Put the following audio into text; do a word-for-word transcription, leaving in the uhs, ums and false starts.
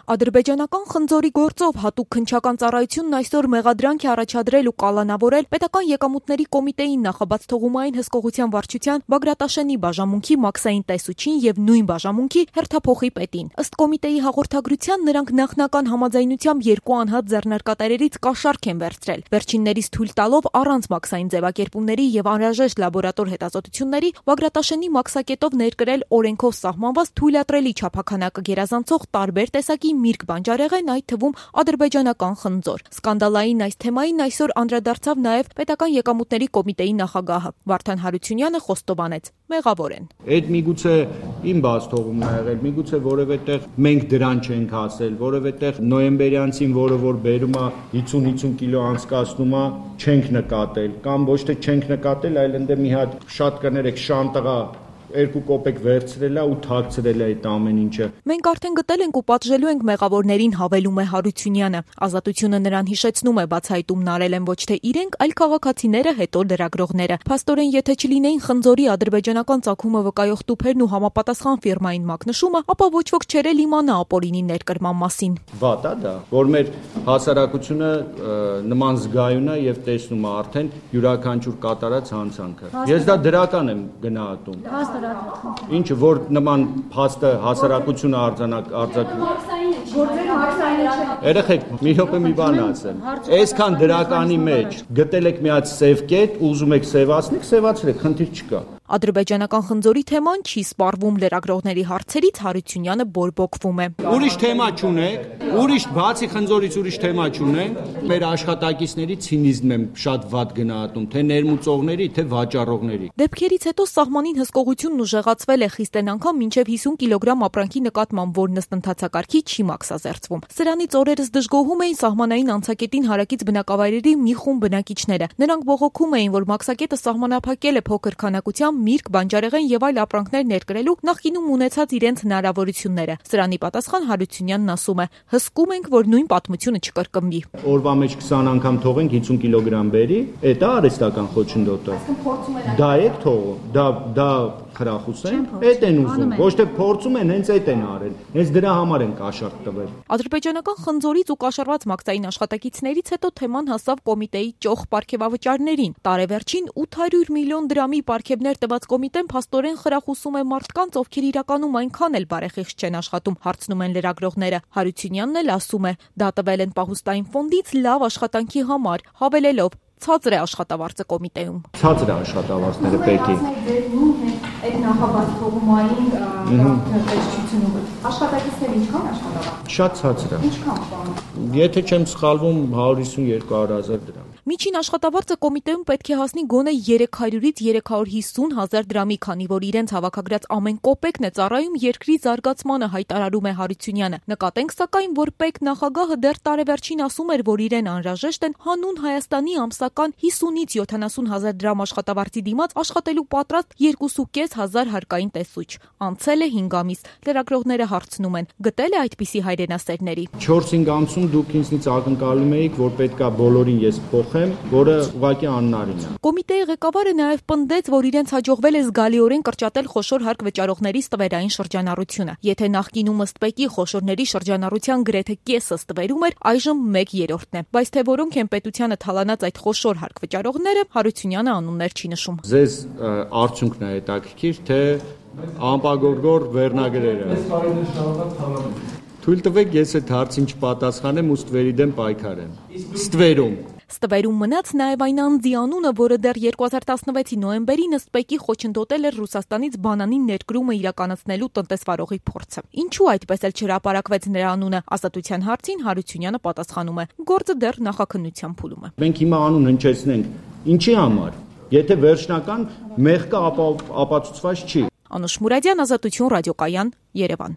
Ադրբեջանական խնձորի գործով հատուկ քննչական ծառայությունն այսօր մեղադրանք է առաջադրել ու կալանավորել պետական եկամուտների կոմիտեին նախաբաց թողումային հսկողության վարչության Բագրատաշենի բաժանմունքի մաքսային տեսուչին եւ նույն բաժանմունքի հերթափոխի պետին։ Ըստ կոմիտեի հաղորդագրության նրանք նախնական համաձայնությամբ երկու անհատ ձեռնարկատերերից կաշառք են վերցրել։ Վերջիններից թույլ տալով առանց մաքսային ձևակերպումների եւ անհրաժեշտ լաբորատոր հետազոտությունների Բագրատաշենի մաքսակետով ներկրել օրենքով սահմանված թույլատրելի չափաքանակը գերազանցող տարբեր տեսակի միրգ բանջարեղեն, այդ թվում ադրբեջանական խնձոր։ Սկանդալային այս թեմային այսօր անդրադարձավ նաև պետական եկամուտների կոմիտեի նախագահը Վարդան Հարությունյանը խոստովանեց. մեղավոր են։ Այդ միգուցե իմ բաց թողումն ա եղել, միգուցե որևէ տեղ մենք դրան չենք հասել, որևէ տեղ նոյեմբերյանցին, որը որ բերում ա հիսուն հիսուն կիլո անցկացնում ա, չենք նկատել, կամ ոչ թե չենք նկատել, այլ ընդ մի հատ շատ կներեք շանտղա երկու կոպեկ վերցրել է ու թաքցրել է այդ ամեն ինչը։ Մենք արդեն գտել ենք ու պատժելու ենք մեղավորներին, հավելում է Հարությունյանը։ Ազատությունը նրան հիշեցնում է, բացահայտումն արել են ոչ թե իրենք, այլ քաղաքացիները, հետո լրագրողները։ Փաստորեն, եթե չլինեին խնձորի ադրբեջանական ծագումը վկայող տուփերն ու համապատասխան ֆիրմային մակնշումը, ապա ոչ ոք չէր էլ իմանա ապօրինի ներկրման մասին։ Վատ է դա, որ մեր հասարակությունը նման զգայուն է եւ տեսնում է արդեն յուրաքանչյուր կատարած հանցանքը։ Ես դա դրական եմ գնահատում։ Ինչը որ նման փաստը հասարակությունը արձանակ արձակում։ Երեխեք, մի րոպե մի բան ասեմ։ Այսքան դրականի մեջ գտել եք մի հատ սև կետ, ուզում եք սևացնեք, սևացրեք, խնդիր չկա։ Ադրբեջանական խնձորի թեման չի սպառվում լրագրողների հարցերից Հարությունյանը բորբոքվում է։ Ուրիշ թեմա չունեք, ուրիշ բացի խնձորից ուրիշ թեմա չունենք։ Մեր աշխատակիցների ցինիզմն եմ շատ վատ գնահատում, թե ներմուծողների, թե վաճառողների։ Դեպքերից հետո սահմանին հսկողությունն ուժեղացվել է խիստ անգամ մինչև հիսուն կիլոգրամ ապրանքի նկատմամբ, որն ըստ ընթացակարգի չի մաքսազերծվում։ Սրանից օրերս դժգոհում էին սահմանային անցակետին հարակից բնակավայրերի մի խումբ բնակիչները։ Նրանք բողոքում էին, որ մաքսակետը սահմանափակել է փոքր քանակությամբ միրգ, բանջարեղեն եւ այլ ապրանքներ ներկրելու նախկինում ունեցած իրենց հնարավորությունները։ Սրանի պատասխան Հարությունյանն ասում է. հսկում ենք, որ նույն պատմությունը չկրկնվի։ Օրվա մեջ քսան անգամ թողենք հիսուն կիլոգրամ բերի, դա արհեստական խոչընդոտ է։ Դա է թողում, դա դա խրախուս են, այդ են ուզում, ոչ թե փորձում են, հենց այդ են արել, հենց դրա համար են կաշառք տվել։ Ադրբեջանական խնձորից ու կաշառված մաքսային աշխատակիցներից հետո թեման հասավ կոմիտեի ճոխ պարգևավճարներին։ Տարեվերջին ութ հարյուր միլիոն դրամի պարգևներ տված կոմիտեն փաստորեն խրախուսում է մարդկանց, ովքեր իրականում այնքան էլ բարեխիղճ չեն աշխատում, հարցնում են լրագրողները։ Հարությունյանն էլ ասում է, դա տվել են պահուստային ֆոնդից լավ աշխատանքի համար, հավելելով. ցածր է աշխատավարձը կոմիտեում։ Ցածր է աշխատավարձները պետք է։ Այդ նախաբաց թողումային վերջությունով աշխատակիցները ինչքան աշխատավարձ։ Շատ ցածր է։ Ինչքան։ Եթե չեմ սխալվում, հարյուր հիսուն երկու հազար դրամ։ Միջին աշխատավարձը կոմիտեում պետք է հասնի գոնե երեք հարյուրից երեք հարյուր հիսուն հազար դրամի, քանի որ իրենց հավաքագրած ամեն կոպեկն է ծառայում երկրի զարգացմանը, հայտարարում է Հարությունյանը։ Նկատենք սակայն, որ ՊԵԿ նախագահը դեռ տարեվերջին ասում էր, որ իրեն անհրաժեշտ են հանուն Հայաստանի ամսական հիսունից յոթանասուն հազար դրամ աշխատավարձի դիմաց աշխատելու պատրաստ երկուսուկես հազար հարկային տեսուչ։ Անցել է հինգ ամիս։ Լրագրողները հարցնում են. գտել է այդպիսի հայրենասերների։ չորս-հինգ ամսում դուք ինձնից ակնկալում էիք, որ պետքա բոլորին ես փոխեմ, որը ուղղակի աննարին է։ Կոմիտեի ղեկավարը նաև պնդեց, որ իրենց հաջողվել է զգալիորեն կրճատել խոշոր հարկ վճարողների ստվերային շրջանառությունը։ Եթե նախկինում ըստ ՊԵԿ-ի խոշորների շրջանառության գրեթե կեսը ստվերում էր, այժմ մեկ երրորդն է։ Բայց թե որոնք են պետությանը թալանած այդ խոշոր հարկ վճարողները, Հարությունյանը անուններ չի նշում։ Ձեզ արդյունքն է հետաքրքիր, թե անպագորգոր վերնագրերը։ Թույլ տվեք ես այդ հարցին չպատասխանեմ ու ստվերի դեմ պայքարեմ։ Ստվերում Ստվերում մնաց նաև այն անձի անունը, որը դեռ երկու հազար տասնվեցի նոյեմբերին ըստ ՊԵԿ-ի խոչընդոտել էր Ռուսաստանից բանանի ներկրումը իրականացնելու տնտեսվարողի փորձը։ Ինչու այդպես էլ չհրապարակվեց նրա անունը, Ազատության հարցին Հարությունյանը պատասխանում է. գործը դեռ նախաքննության փուլում է։ Մենք հիմա անուն հնչեցնենք, ինչի համար։ Եթե վերջնական մեղքը ապացուցված չի։ Անուշ Մուրադյան, Ազատություն, ռադիոկայան, Երևան։